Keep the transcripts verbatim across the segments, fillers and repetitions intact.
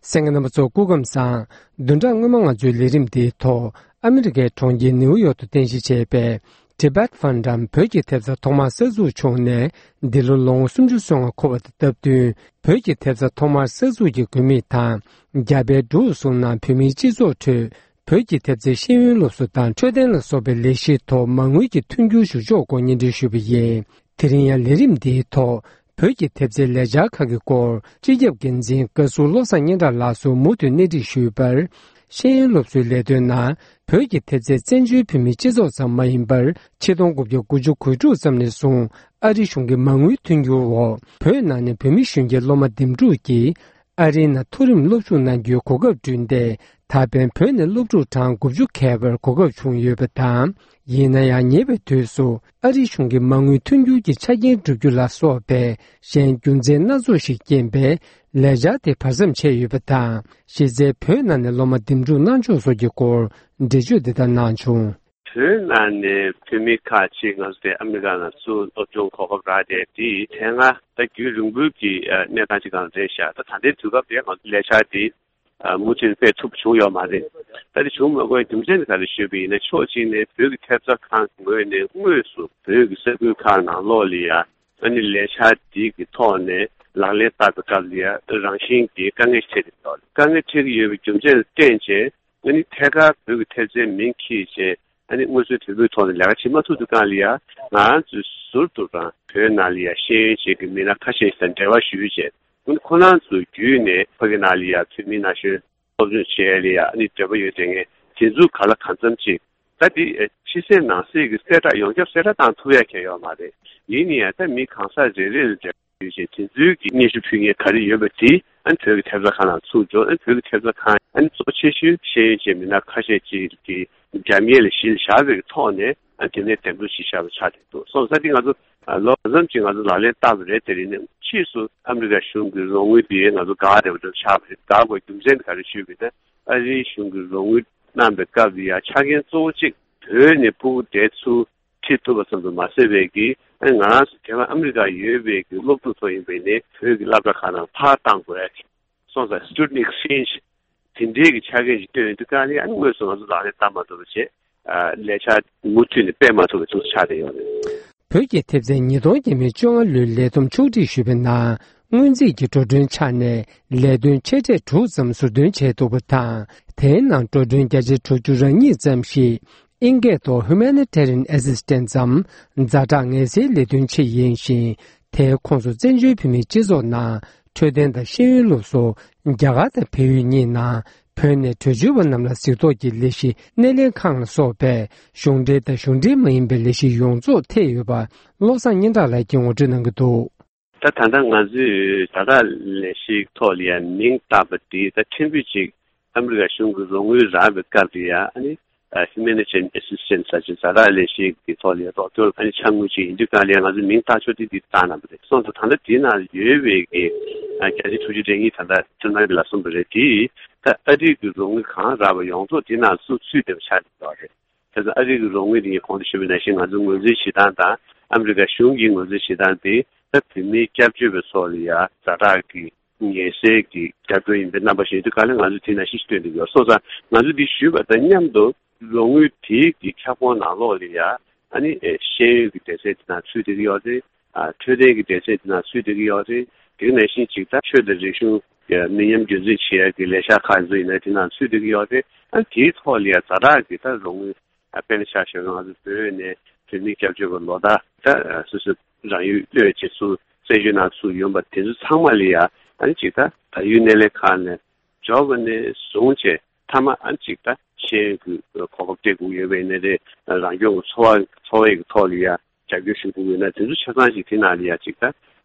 གསན་མཁན་རྣམ་པ་ཚོ་སྐུ་ཁམས་བཟང་། བདུན་ཕྲག་སྔོན་མ་ང་ཚོའི་ལས་རིམ་འདིའི་ཐོག་ཨ་མི་རི་ཀའི་གྲོང་ཁྱེར་ནེའུ་ཡོག་ཏུ་རྟེན་གཞི་བྱས་པའི་Tibet Fund་འམ་བོད་ཀྱི་ཐེབས་རྩ་ཐོག་མར་གསར་འཛུགས་བྱུང་ནས་འདི་ལོ་ལོ་ངོ་སུམ་ཅུ་སོ་ལྔ་འཁོར་བ་དང་སྟབས་བསྟུན། བོད་ཀྱི་ཐེབས་རྩ་ཐོག་མར་གསར་འཛུགས་ཀྱི་དགོས་དམིགས་དང་། རྒྱ་བལ་འབྲུག་གསུམ་ནང་བོད་མིའི་སྤྱི་ཚོགས་ཁྲོད་བོད་ཀྱི་ཐེབས་རྩའི་ཤེས་ཡོན་སློབ་གསོ་དང་འཕྲོད་བསྟེན་ལ་སོགས་པའི་ལས་གཞིའི་ཐོག་མ་དངུལ་གྱི་མཐུན་འགྱུར་ཞུ་ཕྱོགས་སྐོར་སྙན་སྒྲོན་ཞུས་པ་ཡིན། དེ་རིང་ཡང་ལས་རིམ་འདིའི་ཐོག་བོད་ཀྱི་ཐེབས་རྩའི་ལས་འཆར་ཁག་གི་སྐོར་སྤྱི་ཁྱབ་འགན་འཛིན་བཀའ་ཟུར་བློ་བཟང་སྙན་གྲགས་ལགས་སུ་མུ་མཐུད་གནས་འདྲི་ཞུས་པར། ཤེས་ཡོན་སློབ་གསོའི་ལས་དོན་ནང་བོད་ཀྱི་ཐེབས་རྩའི་བཙན་བྱོལ་བོད་མིའི་སྤྱི་ཚོགས་ཙམ་མ་ཡིན་པར། ཆིག་སྟོང་དགུ་བརྒྱ་དགུ་བཅུ་གོ་དྲུག་ཙམ་ནས་བཟུང་ཨ་རིའི་གཞུང་གི་མ་དངུལ་མཐུན་འགྱུར་འོག་བོད་ནང་ནས་བོད་མི་གཞོན་སྐྱེས་སློབ་མ་འདེམས་སྒྲུག་གིས། ཨ་རིའི་ནང་མཐོ་རིམ་སློབ་ཞུགས་གནང་རྒྱུའི་གོ་སྐབས་བསྐྲུན་ཏེ། ད་ཕན་བོད་ནས་སློབ་ཕྲུག་གྲངས་དགུ་བཅུ་ཁྱད་པར་གོ་སྐབས་བྱུང་ཡོད་པ་དང་། ཡིན་ན་ཡང་ཉེ་བའི་དུས་སུ་ཨ་རིའི་གཞུང་གི་མ་དངུལ་མཐུན་འགྱུར་གྱི་ཆ་རྐྱེན་བསྒྲུབ་རྒྱུ་ལ་སོགས་པའི་གཞན་རྒྱུ་མཚན་སྣ་ཚོགས་ཤིག་རྐྱེན་པས་ལས་འཆར་དེ་བར་མཚམས་ཆད་ཡོད་པ་དང་། གཞི་རྩའི་བོད་ནང་ནས་སློབ་མ་འདེམས་སྒྲུག་གནང་ཕྱོགས་སོགས་ཀྱི་སྐོར་འགྲེལ་བརྗོད་འདི་ལྟར་གནང་བྱུང་། བོད་ནང་ནས་བོད་མི་ཁག་ཅིག་ང་ཚོ་དེ་ཨ་མི་རི་ཀ་ནང་ཚུར་སློབ་སྦྱོང་གོ་སྐབས་རག་བསྡད་དེ་དེ་སྔ་ད་རྒྱུན་རིང་པོའི་གི་གནས་སྟངས་ཅིག་སྒང་རེད་ཤག་ད་ད་ལྟའི་དུས་སྐབས་དེ་ང་ཚོ་ལས་འཆར་དེ་མུ་མཐུད་སྤེལ་ཐུབ་བྱུང་ཡོད་མ་རེད། ད་དེ་བྱུང་མ་དགོས་རྒྱུ་མཚན་དེ་ག་རེ་ཞུས་པ་ཡིན་ན་ཕྱོགས་གཅིག་ནས་བོད་ཀྱི་ཐེབས་རྩ་ཁང་གི་ངོས་ནས་དངོས་སུ་བོད་ཀྱི་ས་ཁུལ་ཁག་ནང་ལོགས་ལ་ཡ་ཨ་ནི་ལས་འཆར་དེ་གི་ཐོག་ནས་ལག་ལེན་བསྟར་བའི་སྐབས་ལ་ཡ་རང་བཞིན་གྱི་དཀའ་ངལ་འཕྲད་ཀྱི་ཡོད་རེད། དཀའ་ངལ་འཕྲད་ཀྱི་ཡོད་པའི་རྒྱུ་མཚན་ལ་བརྟེན་བྱས། ཨ་ནི་ཐད་ཀར་བོད་ཀྱི་ཐེབས་རྩའི་མིང་འཁྱེར་བྱས་ཨ་ནི་དངོས་སུ་བོད་པའི་ཐོག་ནས་ལས་ཀ་བྱེད་མ་ཐུབ་དུས་སྒང་ལ་ཡ་ང་ཚོས་ཟུར་དུ་རང་བོད་ནང་ལ་ཡ་ཤེས་ཡོན་ཅན་གྱི་མི་སྣ་ཁ་ཤས་ཤིག་དང་འབྲེལ་བ་ཞུས་བྱས་ཨ་ནི་ཁོ་རང་ཚོ་བརྒྱུད་ནས་ཕ་གི་ནང་ལ་ཡ་བོད་མི་ན་གཞོན་སློབ་སྦྱོང་བྱེད་ཡ་ལ་ཡ་ཨ་ནི་འབྲེལ་བ་ཡོད་བསྡད་མཁན་དེ་ཚོ་ག་ལ་གང་འཚམ་ཅིག་ད་དེ་ཕྱི་གསལ་ནང་གསལ་གྱི་གསལ་བསྒྲགས་ཡོངས་ཁྱབ་གསལ་བསྒྲགས་བཏང་ཐུབ་ཡ་གང་ཡོད་མ་རེད། ཡིན་ན་ཡང་ད་མི་གང་ཟག་རེ་རེ་ལ་འབྲེལ་བ་ཡོད་ཅེས་དེ་ཚོའི་གི་སྙན་ཞུ་ཕུལ་མཁན་ག་རེ་ཡོད་པ་དེ་ཨ་ནི་བོད་ཀྱི་ཐེབས་རྩ་ཁག་ནང་ཚུར་འབྱོར། ཨ་ནི་བོད་ཀྱི་ཐེབས་རྩ་ཁག་ཨ་ནི་གཙོ་ཆེ་ཤོས་ཤེས་ཡོན་ཅན་མི་སྣ་ཁ་ཤས་ཅིག་གི་རྒྱབ་གཉེར་ལ་གཞི་བཞག་པའི་ཐོག་ནས་ཨ་ནི་དེ་ནས་འདེམས་སྒྲུག་བྱེད་བཞག་པ་ཆགས་བསྡད་འདུག་སོང་ཙང་དེ་ང་ཚོ་ལོ་གང་འཚམ་ཅིག་ང་ཚོ་ལག་ལེན་བསྟར་བ་རེད། དེ་རིང་ནས་ཕྱིས་སུ་ཨ་མི་རི་ཀ་གཞུང་གི་རོགས་དངུལ་དེ་ང་ཚོ་དགག་བསྡད་པ་འདྲ་ཆགས་པ་རེད། དགག་དགོས་རྒྱུ་མཚན་དེ་ག་རེ་ཞུས་པ་ཡིན་ན། ཨ་རིའི་གཞུང་གིས་རོགས་དངུལ་གནང་བའི་སྐབས་ལ་ཡང་ཆ་རྐྱེན་གཙོ་བོ་གཅིག་བོད་ནས་ཕྲུ་གུ་དེ་ཚུར་ཁྲིད་ཐུབ་པ་ཙམ་དུ་མ་ཟད་པའི་གི་ཨ་ནི་ང་རང་ཚོ་དེ་སྔ་ཨ་མི་རི་ཀར་ཡོད་པའི་གི་སློབ་ཕྲུག་ཚོ་ཡིན་པ་ཡིན་ནའི་བོད་ཀྱི་སློབ་གྲྭ་ཁག་ནང་ཕར་བཏང་དགོས་ཡ་གི་སོང་ཙང་Student Exchange་དེ་འདྲའི་གི་ཆ་རྐྱེན་ཞིག་བཏོན་ཡོང་དུས་སྒང་ལ་ཨ་ནི་དངོས་སུ་ང་ཚོ་ལག་ལེན་བསྟར་མ་ཐུབ་པ་བྱས། ཨ་ལས་འཆར་མུ་མཐུད་ནས་སྤེལ་མ་ཐུབ་པའི་དུས་ཚོད་ཆགས་བསྡད་ཡོད་རེད། བོད་ཀྱི་ཐེབས་རྩའི་ཉིས་སྟོང་ཉི་ཤུ་རྩ་ལྔ་ལོའི་ལས་བསྡོམས་ཕྱོགས་སྒྲིག་ཞུས་པའི་ནང་། སྔོན་རྩིས་ཀྱི་འགྲོ་གྲོན་ཆ་ནས་ལས་དོན་ཆེ་གྲས་དྲུག་ཙམ་ཟུར་འདོན་བྱས་འདུག་པ་དང་། དེའི་ནང་འགྲོ་གྲོན་བརྒྱ་ཆ་དྲུག་ཅུ་རེ་གཉིས་ཙམ་ཞིག་ཨིན་སྐད་ཐོག་Humanitarian Assistance་ཙམ་ཛ་དྲག་ངལ་སེལ་ལས་དོན་ཆེད་ཡིན་ཞིང་། དེའི་ཁོངས་སུ་བཙན་བྱོལ་བོད་མིའི་སྤྱི་ཚོགས་ནང་འཕྲོད་བསྟེན་དང་ཤེས་ཡོན་སློབ་གསོ། རྒྱ་གར་དང་བལ་ཡུལ་གཉིས་ནང་བོད་ནས་བྲོས་བྱོལ་བ་རྣམས་ལ་གཟིགས་རྟོག་གི་ལས་གཞི་སྣེ་ལེན་ཁང་ལ་སོགས་པའི་གཞུང་འབྲེལ་དང་གཞུང་འབྲེལ་མ་ཡིན་པའི་ལས་གཞི་ཡོངས་རྫོགས་ཐེ་ཡོད་པ་བློ་བཟང་སྙན་གྲགས་ལགས་ཀྱིས་ངོ་སྤྲོད་གནང་གི་འདུག་ད་ད་ལྟ་ང་ཚོས་ཛ་དྲག་ལས་གཞིའི་ཐོག་ལ་ཡང་མིང་བཏགས་པ་དེ་ད་ཕྲན་བུ་ཅིག་ཨ་མི་རི་ཀ་གཞུང་གི་རོགས་དངུལ་རག་པའི་སྐབས་དེ་ཡང་ཨ་ནི་Humanitarian Assistance་ཟེར་གྱི་ཛ་དྲག་ལས་གཞི་གི་ཐོག་ལ་རོགས་སྐྱོར་ཨ་ནི་ཆ་དངུལ་ཅིག་ཡིན་དུས་སྒང་ལ་ང་ཚོས་མིང་བཏགས་ཕྱོགས་དེ་འདི་བཏགས་གནང་བ་རེད། སོང་ཙང་ད་ལྟ་དེའི་ནང་ཡོད་པའི་གི་བརྒྱ་ཆ་དྲུག་ཅུ་རེ་གཉིས་ད་ལྟ་ཁྲིམས་ནང་གི་ལ་གསུངས་པ་རེད། དེ་ད་ཨ་རིའི་གི་རོགས་དངུལ་གང་རག་པ་ཡོངས་རྫོགས་དེའི་ནང་ཚུར་ཚུད་བསྡད་པ་ཆགས་བསྡད་ཡོད་རེད། དེ་ཚོ་ཨ་རི་གི་རོགས་དངུལ་དེ་ངས་གོང་དུ་ཞུས་པ་ནང་བཞིན་ང་ཚོའི་ངོས་འཛིན་བྱེད་སྟངས་དང་ཨ་མི་རི་ཀ་གཞུང་གིས་ངོས་འཛིན་བྱེད་སྟངས་དེ་ད་བོད་མིའི་སྐྱབས་བཅོལ་བའི་ཚོགས་ལ་ཡ་ཛ་དྲག་གི་ངལ་སེལ་གྱི་རྒྱབ་སྐྱོར་ཡིན་པའི་རྣམ་པ་ཞིག་ཡིན་དུས་ག་ལེ་ང་ཚོས་དེ་ནང་བཞིན་ཞིག་སྟོན་གྱི་ཡོད། སོང་ཙང་ང་ཚོས་འདི་ཞུས་པ་དང་མཉམ་དུ་རོགས་དངུལ་དེའི་གི་ཁྱབ་ཁོངས་ནང་ལོགས་ལ་ཡ་ཨ་ནི་ཤེས་ཡོན་གྱི་སྡེ་ཚན་དེ་ནང་ཚུད་བསྡད་ཀྱི་ཡོད་རེད། འཕྲོད་བསྟེན་གྱི་སྡེ་ཚན་དེ་ནང་ཚུད་བསྡད་ཀྱི་ཡོད་རེད། དེ་ནང་བཞིན་ཅིག་ད་ཆོས་དང་རིག་གཞུང་མི་ཉམས་རྒྱུན་འཛིན་བྱེད་ཡག་གི་ལས་འཆར་ཁག་ཚོ་ཡིན་ན་དེ་ནང་ཚུད་བསྡད་ཀྱི་ཡོད་རེད། ཨ་དེའི་ཐོག་ལ་ཡ་ཛ་དྲག་གི་ད་རོགས་དངུལ་དཔེར་ན་ཆ་བཞག་ན་ང་ཚོ་བོད་ནས་བོད་མིའི་སྐྱབས་བཅོལ་བ་ལོ་ལྟར་ད་སོ་སོའི་རང་ཡུལ་གློད་བྱེད་ཚུལ་བཙན་བྱོལ་ནང་ཚུར་ཡོང་པ་དེ་ཚོ་ཚང་མ་ལ་ཡ་ཨ་ནི་ཅིག་ད་བལ་ཡུལ་སྣེ་ལེན་ཁང་ནས་འབྱོར་བ་ནས་བཟུང་བྱས་མཐའ་མ་ཨ་ནི་ཅིག་ད་ཤེས་ཡོན་གྱི་གོ་སྐབས་སྤྲད་དགོས་ཡོད་པ་ཡིན་ན་རེད། རང་སྐྱོང་གི་འཚོ་བ་འཚོ་བའི་གི་ཐོག་ལ་ཡ་རྒྱབ་སྐྱོར་ཞུ་དགོས་ཡོད་ན་དེ་ཚོ་ཆ་ཚང་ཞིག་དེ་ནང་ལ་ཡ་ཅིག་ད་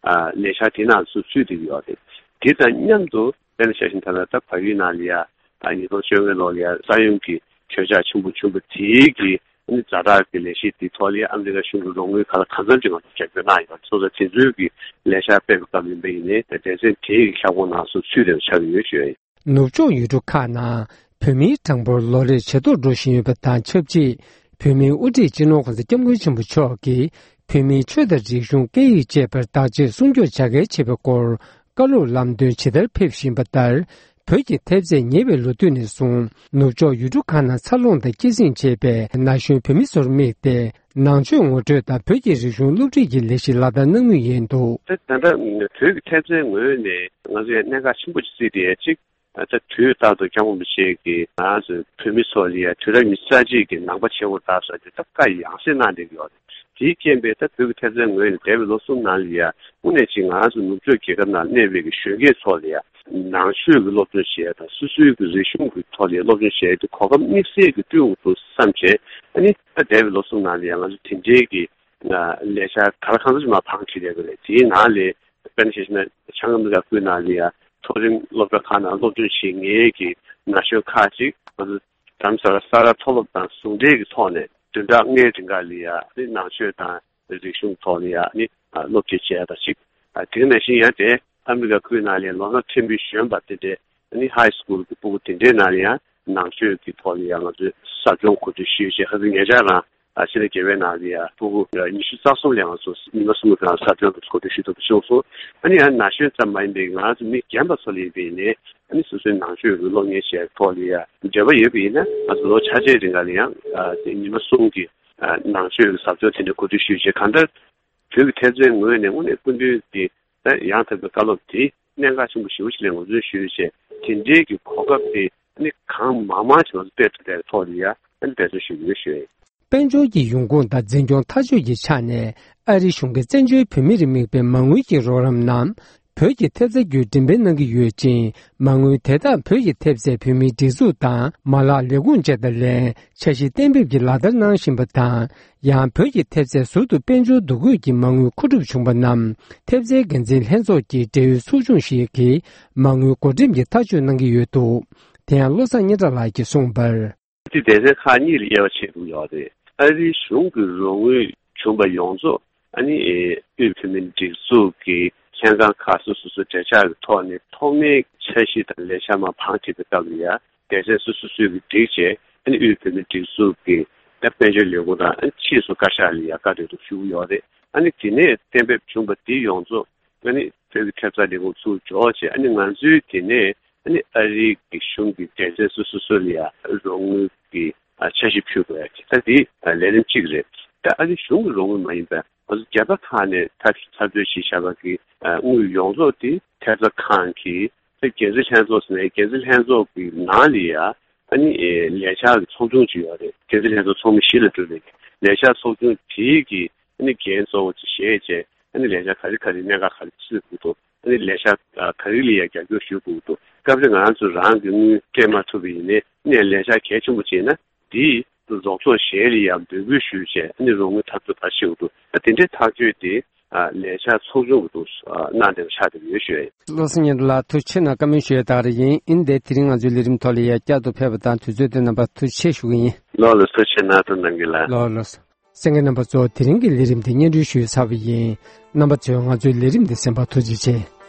ལས་འཆར་དེ་ནང་ཚུར་ཚུད་བསྡད་ཀྱི་ཡོད་རེད། དེ་དང་མཉམ་དུ་དཔེར་ན་ཆ་བཞག་ན་ད་ལྟ་ད་བལ་ཡུལ་ནང་ལ་ཡ་ཉིས་སྟོང་བཅོ་ལྔ་ལོ་ལ་ཡ་ས་ཡོམ་གྱི་གྱོད་ཆག་ཆེན་པོ་བྱུང་བ་དེའི་གི་ཛ་དྲག་གི་ལས་གཞི་དེའི་ཐོག་ལ་ཡ་ཨ་མི་རི་ཀ་གཞུང་གི་རོགས་དངུལ་ག་ལ་གང་འཚམ་ཅིག་ང་ཚོ་རྒྱབ་སྐྱོར་གནང་ཡོད་རེད། སོང་ཙང་དེ་ཚོའི་གི་ལས་འཆར་སྤེལ་བའི་སྐབས་ཡིན་པ་ཡིན་ནའི་ད་སྡེ་ཚན་དེའི་གི་ཁྱབ་ཁོངས་ནང་སོ་ཚུད་བསྡད་པ་ཆགས་ཀྱི་ཡོད་ཞུ་ཡ་ཡིན། ནུབ་ཕྱོགས་ཡུལ་གྲུ་ཁག་ནང་བོད་མིའི་གྲངས་འབོར་ལོ་རེར་ཇེ་མཐོར་འགྲོ་བཞིན་ཡོད་པ་དང་ཆབས་ཅིག་བོད་མིའི་དབུ་ཁྲིད་སྤྱི་ནོར་༸གོང་ས་༸སྐྱབས་མགོན་ཆེན་པོ་མཆོག་གིས་བོད་མིའི་ཆོས་དང་རིག་གཞུང་སྐད་ཡིག་བཅས་པར་བདག་གཅེས་སྲུང་སྐྱོབ་བྱ་གལ་ཆེ་བའི་སྐོར་བཀའ་སློབ་ལམ་སྟོན་ཇི་ལྟར་ཕེབས་བཞིན་པ་ལྟར། བོད་ཀྱི་ཐེབས་རྩས་ཉེ་བའི་ལོ་དུས་ནས་བཟུང་ནུབ་ཕྱོགས་ཡུལ་གྲུ་ཁག་ནང་འཚར་ལོངས་དང་སྐྱེད་སྲིང་བྱས་པའི་ན་གཞོན་བོད་མི་ཚོར་དམིགས་ཏེ། ནང་ཆོས་ངོ་སྤྲོད་དང་བོད་ཀྱི་རིག་གཞུང་སློབ་ཁྲིད་ཀྱི་ལས་གཞི་ལག་བསྟར་གནང་མུས་ཡིན་འདུག། ད་ད་ལྟ་བོད་ཀྱི་ཐེབས་རྩའི་ངོས་ནས་ང་ཚོས་གནད་འགག་ཆེན་པོ་ཅིག་བརྩིས་ཏེ། གཅིག་ད་དུས་རྟག་ཏུ་སྐྱབས་མགོན་རིན་པོ་ཆེ་གིས་ང་ཚོ་བོད་མི་ཚོ་ལ་ཡ་དུས་རབས་ཉི་ཤུ་རྩ་གཅིག་གི་ནང་པ་ཆེན་པོ་དར་ས་དེ་ད་བཀའ་ཡང་སེ་གནང་བསྡད་ཀྱི་ཡོད་རེད། དེའི་རྐྱེན་པས་ད་བོད་ཀྱི་ཐེབས་རྩའི་ངོས་ནས་འདས་པའི་ལོ་གསུམ་ནང་ལ་ཡ་དངོས་གནས་ཅིག་ང་ཚོ་ནུབ་ཕྱོགས་རྒྱལ་ཁབ་ནང་གནས་པའི་གི་གཞོན་སྐྱེས་ཚོ་ལ་ཡ་ནང་ཆོས་ཀྱི་སློབ་སྦྱོང་བྱས་དང་སོ་སོའི་གི་རིག་གཞུང་གི་ཐོག་ལ་སློབ་སྦྱོང་བྱས་ཏེ་གོ་སྐབས་དམིགས་བསལ་གྱི་བསྐྲུན་དགོས་འདུག་བསམ་བྱས། ཨ་ནི་ད་འདས་པའི་ལོ་གསུམ་ནང་ལ་ཡ་ང་ཚོ་དེ་འདྲའི་གི་ལས་འཆར་ག་ལ་གང་འཚམ་ཅིག་མར་བང་བསྒྲིགས་བསྡད་ཡོད་རེད། དེའི་ནང་ལས་དཔེར་ན་ཆ་བཞག་ན་བྱང་ཨ་མི་རི་ཀ་ཁུལ་ནང་ལ་ཡ་མཐོ་རིམ་སློབ་གྲྭ་ཁག་ནང་སློབ་སྦྱོང་བྱེད་མཁན་གྱི་ན་གཞོན་ཁག་ཅིག་ང་ཚོ་རྡ་རམ་ས་ལ་ས་རཱ་མཐོ་སློབ་དང་ཟུང་འབྲེལ་གྱི་ཐོག་ནས་བདུན་ཕྲག་ལྔའི་རིང་ག་ལ་ཡ་ནི་ནང་ཆོས་དང་རིག་གཞུང་ཐོག་ལ་ཡ་ནི་སློབ་ཁྲིད་བྱས་པ་ཞིག། དེ་ནང་བཞིན་ཡང་དེ་ཨ་མི་རི་ཀ་ཁུལ་ནང་ལ་ལོ་ན་ཆེན་པོའི་གཞོན་པ་དེ་འདྲའི་ནི་ཧའི་སི་ཀུལ་གྱི་ཕྲུ་གུ་དེ་འདྲའི་ནང་ལ་ཡང་ནང་ཆོས་ཀྱི་ཐོག་ལ་ཡང་ང་ཚོས་ཟབ་སྦྱོང་གོ་སྒྲིག་ཞུས་བྱས། ཁ་སང་ཉེ་ཆར་རང་ཕྱི་ཟླ་བརྒྱད་པའི་ནང་ལ་ཡང་ཕྲུ་གུ་ཉི་ཤུ་རྩ་གསུམ་ལ་ང་ཚོ་ཉི་མ་གསུམ་གྱི་ཟབ་སྦྱོང་གོ་སྒྲིག་ཞུ་ཐུབ་པ་བྱུང་སོང་། ཨ་ནི་ཡང་ན་གཞོན་ཙམ་མ་ཡིན་པའི་ང་ཚོ་མི་རྒན་པ་ཚོ་ལ་ཡིན་པའི་ནས་ཨ་ནི་སོ་སོའི་ནང་ཆོས་ཀྱི་སློབ་གཉེར་བྱས་ཐོག་ལ་ཡང་འབྲེལ་བ་ཡོད་པ་ཡིན་ན། ང་ཚོ་ལོ་ཆ་ཆའི་རིང་ག་ལ་ཡང་ཉི་མ་གསུམ་གྱི་ནང་ཆོས་ཀྱི་ཟབ་སྦྱོང་དེ་འདྲ་གོ་སྒྲིག་ཞུས་བྱས། གང་ལྟར་བོད་ཀྱི་ཐེབས་རྩའི་ངོས་ནས་དངོས་གནས་སྐུ་མདུན་གྱི་ད་ཡང་དག་པའི་བཀའ་སློབ་དེ་གནད་འགག་ཆེན་པོ་ཞེ་པོ་ཞིག་ལ་ངོས་འཛིན་ཞུས་བྱས། དེ་འདྲའི་གི་གོ་སྐབས་དེ་ནི་གང་མང་མང་ཞིག་ང་ཚོ་སྤེལ་ཐུབ་པའི་ཐོག་ལ་ཡ་ཨ་ནི་འབད་བརྩོན་ཞུ་གི་ཡོད་ཞུ་ཡ་ཡིན། དཔལ་འབྱོར་གྱི་ཡོང་ཁུངས་དང་འཛིན་སྐྱོང་ཐག་གཅོད་ཀྱི་ཆ་ནས་ཨ་རིའི་གཞུང་གིས་བཙན་བྱོལ་བོད་མིར་དམིགས་པའི་མ་དངུལ་གྱི་རོགས་རམ་རྣམས་བོད་ཀྱི་ཐེབས་རྩ་བརྒྱུད་འགྲེམས་སྤེལ་གནང་གི་ཡོད་ཅིང་། མ་དངུལ་དེ་དག་བོད་ཀྱི་ཐེབས་རྩས་བོད་མིའི་སྒྲིག་འཛུགས་དང་མ་ལག་ལས་ཁུངས་བཅས་དང་ལེན། འཆར་གཞི་གཏན་འབེབས་ཀྱིས་ལག་བསྟར་གནང་བཞིན་པ་དང་། ཡང་བོད་ཀྱི་ཐེབས་རྩས་ཟུར་དུ་དཔལ་འབྱོར་འདུ་འགོད་ཀྱི་མ་དངུལ་མཁོ་སྒྲུབ་བྱུང་བ་རྣམས་ཐེབས་རྩའི་འགན་འཛིན་ལྷན་ཚོགས་ཀྱི་འབྲེལ་ཡོད་ཚོགས་ཆུང་ཞིག་གིས་མ་དངུལ་བགོ་འགྲེམས་ཀྱི་ཐག་གཅོད་གནང་གི་ཡོད་འདུག། དེ་ཡང་བློ་བཟང་སྙན་གྲགས་ལགས་ཀྱིས་གསུངས་པར། དེ་སྡེ་ཚན་ཁག་གཉིས་ལ་དབྱེ་བ་ཕྱེ་དགོས་ཡོད་རེད། ཨ་རིའི་གཞུང་གི་རོགས་དངུལ་བྱུང་བ་ཡོངས་རྫོགས་ཨ་ནི་དབུས་བོད་མིའི་སྒྲིག་འཛུགས་ཀྱི་ལྷན་ཁང་ཁག་སོ་སོ་སོ་སོའི་གྲོས་འཆར་གྱི་ཐོག་ནས་ཐོག་མའི་འཆར་གཞི་དང་ལས་འཆར་མར་བང་བསྒྲིགས་པའི་སྐབས་ལ་ཡ། སྡེ་ཚན་སོ་སོ་སོས་ཀྱི་བསྒྲིགས་བྱས། ཨ་ནི་དབུས་བོད་མིའི་སྒྲིག་འཛུགས་ཀྱི་ད་དཔལ་འབྱོར་ལས་ཁུངས་དང་ཨ་ནི་ཕྱིས་སུ་བཀའ་ཤག་ལ་ཡ་བཀའ་འདྲི་ཐུབ་ཞུ་གི་ཡོད་རེད། ཨ་ནི་དེ་ནས་གཏན་འབེབས་བྱུང་བ་འདི་ཡོངས་རྫོགས་ཨ་ནི་བོད་ཀྱི་ཐེབས་རྩ་ལས་ཁུངས་ཚུར་འབྱོར་བྱས། ཨ་ནི་ང་ཚོའི་དེ་ནས་ཨ་ནི་ཨ་རིའི་གི་གཞུང་གི་སྡེ་ཚན་སོ་སོ་སོ་ལ་ཡ་རོགས་དངུལ་གྱི་འཆར་གཞི་ཕུལ་དགོས་ཡ་ད་འདི་ལས་རིམ་གཅིག་རེད། ད་ཨ་རིའི་གཞུང་གི་རོགས་དངུལ་མ་ཡིན་པ་ང་ཚོ་རྒྱལ་ཁབ་ཁག་ནས་ཐབས་ཚུལ་བྱས་བཞག་པ་གི་དངུལ་ཡོངས་རྫོགས་དེ་ཐེབས་རྩ་ཁང་གི་ད་འགན་འཛིན་ལྷན་ཚོགས་ཟེར་ནས་འགན་འཛིན་ལྷན་ཚོགས་ཀྱི་ནང་ལ་ཡ་ཨ་ནི་ལས་འཆར་གྱི་ཚོགས་ཆུང་ཅིག་ཡོད་རེད། འགན་འཛིན་ལྷན་ཚོགས་ཚོགས་མི་བཞི་ལ་གྲུབ་པའི་ལས་འཆར་ཚོགས་ཆུང་དེའི་གི་ཨ་ནི་འགན་གཙོ་བོ་ཅིག་བཞེས་བྱས། ཨ་ནི་ལས་འཆར་ག་རེ་ག་རེ་གནད་འགག་ག་རེ་བརྩི་དགོས་འདུག། ཨ་ནི་ལས་འཆར་ག་རེ་ལ་ཡ་རྒྱབ་སྐྱོར་ཞུ་དགོས་འདུག། སྐབས་རེ་ང་ཚོ་རང་གི་དངུལ་སྤྲད་མ་ཐུབ་པ་ཡིན་ནའི་ཨ་ནི་ལས་འཆར་གལ་ཆེན་པོ་ཅིག་ཡིན་ན་དེའི་རོགས་ཚོགས་གཞན་ལ་ཡ་འབོད་སྐུལ་ཞུས་བྱས། ཨ་ནི་རོགས་དངུལ་ཐབས་ཚུལ་ག་རེ་བྱེད་དགོས་འདུག། ཨ་དེ་འདྲའི་ཐག་གཅོད་དེ་ལས་འཆར་ཚོགས་ཆུང་གི་ཐོག་གནང་བསྡད་པ་ཆགས་བསྡད་ཡོད་ཞུ་ཡ་ཡིན། བློ་བཟང་སྙན་གྲགས་ལགས་ཐུགས་རྗེ་ཆེ་གནང་། བཀའ་མོལ་ཞུ་ཡ་ད་ག་རང་ཡིན། ཨིན་དེ་དེ་རིང་ང་ཚོའི་ལས་རིམ་ཐོག་ལ་ཡ་བསྐྱར་དུ་ཕེབས་པ་དང་དུས་ཚོད་དེ་རྣམ་པ་ཐུགས་རྗེ་ཆེ་ཞུ་གི་ཡིན། ལགས་ལགས་ཐུགས་རྗེ་ཆེ་གནང་། ཐུགས་རྗེ་གནང་གི་ལགས། ལགས་ལགས། གསན་མཁན་རྣམ་པ་ཚོ་དེ་རིང་གི་ལས་རིམ་དེ་སྙན་སྒྲོན་ཞུས་ཚར་བ་ཡིན། རྣམ་པ་ཚོས་ང་ཚོའི་ལས་རིམ་དེ་གསན་པར་ཐུགས་རྗེ་ཆེ།